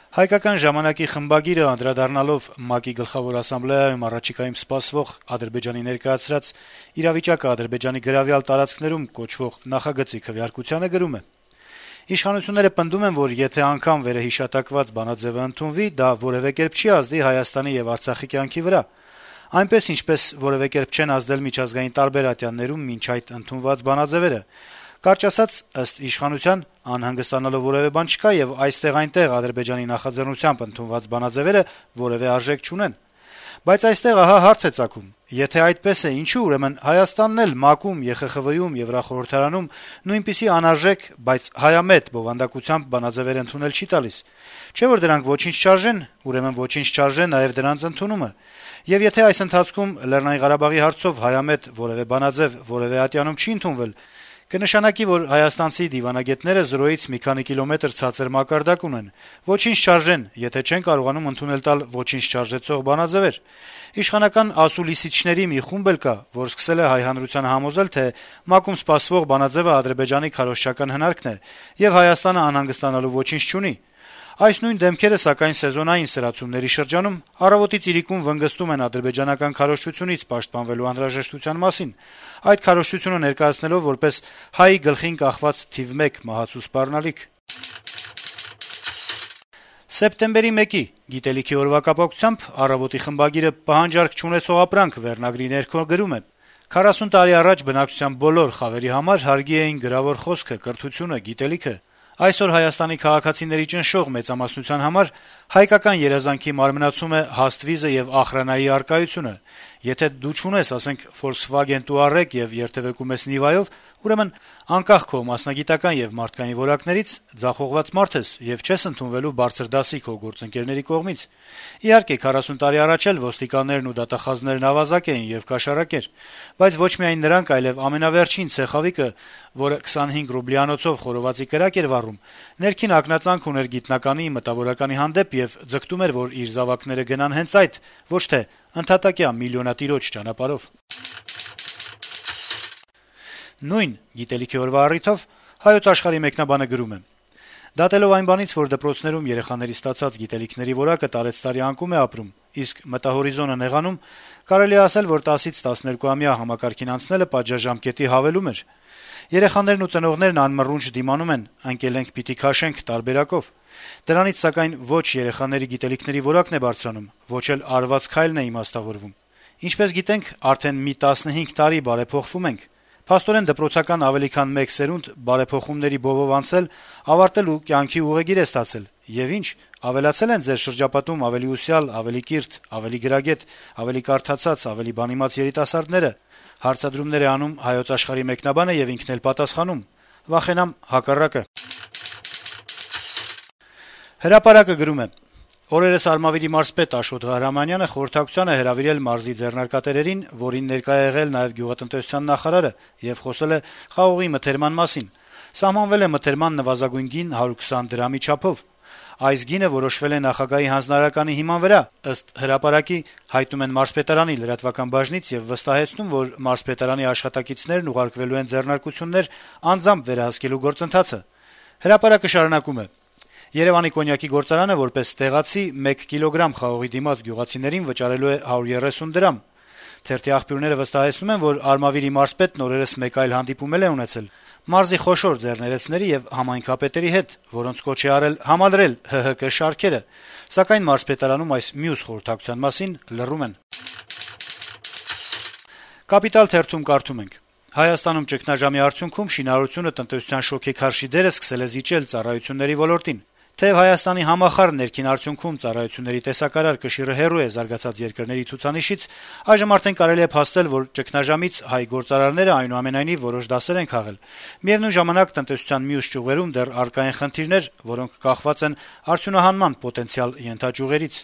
Հայկական ժամանակի խմբագիրը անդրադառնալով ՄԱԿ-ի գլխավոր ասամբլեայում առաջիկայում սպասվող Ադրբեջանի ներկայացրած «Իրավիճակը Ադրբեջանի գրավյալ տարածքներում» կոչվող նախագծի քվեարկությանը գրում է. - «Իշխանությունները պնդում են, որ եթե անգամ վերահիշատակված բանաձեւը ընդունվի, դա որեւէ կերպ չի ազդի Հայաստանի եւ Արցախի կյանքի վրա, այնպես ինչպես որեւէ կերպ չեն ազդել միջազգային տարբեր ատյաններում մինչ այդ ընդունված բանաձեւերը: Կարճ ասած, ըստ իշխանության, անհանգստանալու որեւէ բան չկա, եւ այստեղ-այնտեղ Ադրբեջանի նախաձեռնությամբ ընդունված բանաձեւերը որեւէ արժեք չունեն: Բայց այստեղ ահա հարց է ծագում. եթե այդպես է, ինչու' ուրեմն Հայաստանն էլ ՄԱԿ-ում, ԵԽԽՎ-ում, Եվրախորհրդարանում նույնպիսի անարժեք, բայց հայամետ բովանդակությամբ բանաձեւեր ընդունել չի տալիս: Չէ՞ որ դրանք ոչինչ չարժեն, ուրեմն ոչինչ չարժե նաեւ դրանց ընդունումը: Եվ եթե այս ընթացքում ԼՂ հարցով հայամետ որեւէ բանաձեւ որեւէ ատյանում չի ընդունվել, կնշանակի, որ հայաստանցի դիվանագետները զրոյից մի քանի կիլոմետր ցածր մակարդակ ունեն, ոչինչ չարժեն, եթե չեն կարողանում ընդունել տալ ոչինչ չարժեցող բանաձեւեր: Իշխանական ասուլիսիչների մի խումբ էլ կա, որ սկսել է հայ հանրությանը համոզել, թե ՄԱԿ-ում սպասվող բանաձեւը Ադրբեջանի քարոզչական հնարքն է, եւ Հայաստանը անհանգստանալու ոչինչ չունի: Այս նույն դեմքերը, սակայն, սեզոնային սրացումների շրջանում առավոտից իրիկուն վնգստում են ադրբեջանական քարոզչությունից պաշտպանվելու անհրաժեշտության մասին, այդ քարոզչությունը ներկայացնելով որպես «Հայի գլխին կախված թիվ 1 մահացու սպառնալիք»: Սեպտեմբերի 1-ի Գիտելիքի օրվա կապակցությամբ «Առավոտ»-ի խմբագիրը «Պահանջարկ չունեցող ապրանք» վերնագրի ներքո գրում է. - «40 տարի առաջ բնակչության բոլոր խավերի համար հարգի էին գրավոր խոսքը, կրթությունը, գիտելիքը: Այսօր Հայաստանի քաղաքացիների ճնշող մեծամասնության համար հայկական երազանքի մարմնացում է հաստ վիզը եւ ախրանայի առկայությունը: Եթե դու չունես, ասենք, Volkswagen Touareg եւ երթեւեկում ես Niva-ով, ուրեմն անկախ քո մասնագիտական եւ մարդկային որակներից ձախողված մարդ ես եւ չես ընդունվելու բարձր դասի քո գործընկերների կողմից: Իհարկե, 40 տարի առաջ էլ ոստիկաններն ու դատախազներն ավազակ էին եւ կաշառակեր: Բայց ոչ միայն նրանք, այլեւ ամենավերջին ցեխավիկը, որը 25 ռուբլիանոցով խորովածի կրակ էր վառում, ներքին ակնածանք ուներ գիտնականի, մտավորականի հանդեպ եւ ձգտում էր, որ իր զավակները գնան հենց այդ, ոչ թե ընդհատակյա միլիոնատիրոջ ճանապարհով»: Նույն Գիտելիքի օրվա առիթով «Հայոց Աշխարհ»-ի մեկնաբանը գրում է. - «Դատելով այն բանից, որ դպրոցներում երեխաների ստացած գիտելիքների որակը տարեցտարի անկում է ապրում, իսկ մտահորիզոնը նեղանում, կարելի է ասել, որ 10-ից 12-ամյա համակարգին անցնելը պատժաժամկետի հավելում էր: Երեխաներն ու ծնողներն անմռունչ դիմանում են «ընկել ենք, պիտի քաշենք» տարբերակով: Դրանից, սակայն, ոչ երեխաների գիտելիքների որակն է բարձրանում, ոչ էլ արված քայլն է իմաստավորվում: Ինչպես գիտենք, արդեն մի 15 տարի բարեփոխվում ենք: Փաստորեն, դպրոցական ավելի քան մեկ սերունդ բարեփոխումների բովով անցել, ավարտել ու կյանքի ուղեգիր է ստացել: Եվ ինչ, ավելացել են ձեր շրջապատում ավելի ուսյալ, ավելի կիրթ, ավելի գրագետ, ավելի կարդացած, ավելի բանիմաց երիտասարդները»: Հարցադրումներ է անում «Հայոց Աշխարհ»-ի մեկնաբանը եւ ինքն էլ պատասխանում. - «Վախենամ, հակառակը»: «Հրապարակ»-ը գրում է. - «Օրերս Արմավիրի մարզպետ Աշոտ Ղահրամանյանը խորհրդակցության է հրավիրել մարզի ձեռնարկատերերին, որին ներկա է եղել նաեւ գյուղատնտեսության նախարարը, եւ խոսել է խաղողի մթերման մասին: Սահմանվել է մթերման նվազագույն գին 120 դրամի չափով: Այս գինը որոշվել է նախագահի հանձնարարականի հիման վրա, ըստ «Հրապարակ»-ի, հայտնում են մարզպետարանի լրատվական բաժնից եւ վստահեցնում, որ մարզպետարանի աշխատակիցներն ուղարկվելու են ձեռնարկություններ անձամբ վերահսկելու գործընթացը»: «Հրապարակ»-ը շարունակում է. - «Երեւանի կոնյակի գործարանը, որպես տեղացի, 1 կիլոգրամ խաղողի դիմաց գյուղացիներին վճարելու է 130 դրամ: Թերթի աղբյուրները վստահեցնում են, որ Արմավիրի մարզպետն օրերս մեկ այլ հանդիպում էլ է ունեցել մարզի խոշոր ձեռներեցների եւ համայնքապետերի հետ, որոնց կոչ է արել համալրել ՀՀԿ շարքերը, սակայն մարզպետարանում այս մյուս խորհրդակցության մասին լռում են»: «Կապիտալ» թերթում կարդում ենք. - «Հայաստանում ճգնաժամի արդյունքում շինարարությունը տնտեսության շոգեքարշի դերը սկսել է զիջել ծառայությունների ոլորտին: Թեեւ Հայաստանի համախառն ներքին արդյունքում ծառայությունների տեսակարար կշիռը հեռու է զարգացած երկրների ցուցանիշից, այժմ արդեն կարելի է փաստել, որ ճգնաժամից հայ գործարարները այնուամենայնիվ որոշ դասեր են քաղել: Միեւնույն ժամանակ, տնտեսության մյուս ճյուղերում դեռ առկա են խնդիրներ, որոնք կախված են արդյունահանման պոտենցիալ ենթաճյուղերից»: